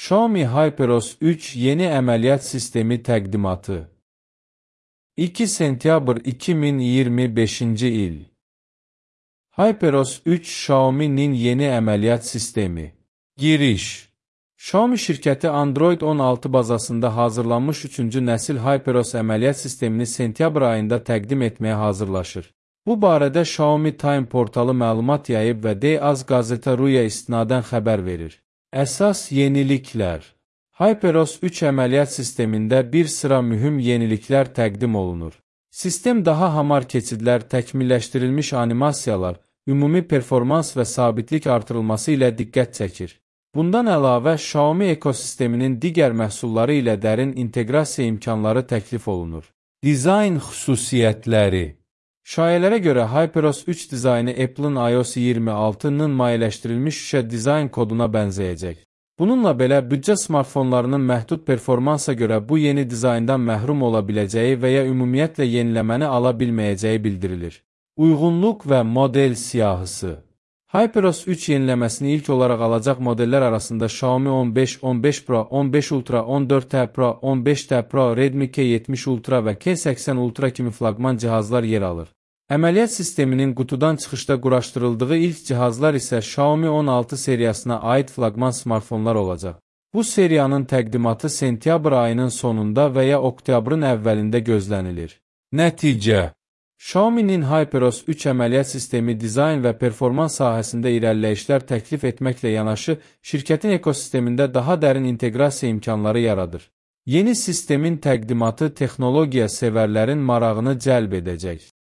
Xiaomi HyperOS 3 yeni əməliyyat sistemi təqdimatı. 2 sentyabr 2025-ci il. HyperOS 3 Xiaomi'nin yeni əməliyyat sistemi. Giriş. Xiaomi şirkəti Android 16 bazasında hazırlanmış 3-cü nəsil HyperOS əməliyyat sistemini sentyabr ayında təqdim etməyə hazırlaşır. Bu barədə Xiaomi Time portalı məlumat yayıb və D-Az Gazeta.ru-ya istinadən xəbər verir. Əsas yeniliklər. HyperOS 3 əməliyyat sistemində bir sıra mühüm yeniliklər təqdim olunur. Sistem daha hamar keçidlər, təkmilləşdirilmiş animasiyalar, ümumi performans və sabitlik artırılması ilə diqqət çəkir. Bundan əlavə, Xiaomi ekosisteminin digər məhsulları ilə dərin inteqrasiya imkanları təklif olunur. Dizayn xüsusiyyətləri. Şayələrə görə HyperOS 3 dizaynı Apple'ın iOS 26-nın mayeləşdirilmiş şüşə dizayn koduna bənzəyəcək. Bununla belə, büdcə smartfonlarının məhdud performansa görə bu yeni dizayndan məhrum ola biləcəyi və ya ümumiyyətlə yeniləməni ala bilməyəcəyi bildirilir. Uyğunluq və model siyahısı. HyperOS 3 yeniləməsini ilk olaraq alacaq modellər arasında Xiaomi 15, 15 Pro, 15 Ultra, 14T Pro, 15T Pro, Redmi K70 Ultra və K80 Ultra kimi flaqman cihazlar yer alır. Əməliyyat sisteminin qutudan çıxışda quraşdırıldığı ilk cihazlar isə Xiaomi 16 seriyasına aid flaqman smartfonlar olacaq. Bu seriyanın təqdimatı sentyabr ayının sonunda və ya oktyabrın əvvəlində gözlənilir. Nəticə. Xiaomi'nin HyperOS 3 əməliyyat sistemi dizayn və performans sahəsində irəliləyişlər təklif etməklə yanaşı, şirkətin ekosistemində daha dərin inteqrasiya imkanları yaradır. Yeni sistemin təqdimatı texnologiya sevərlərin marağını cəlb edəcək.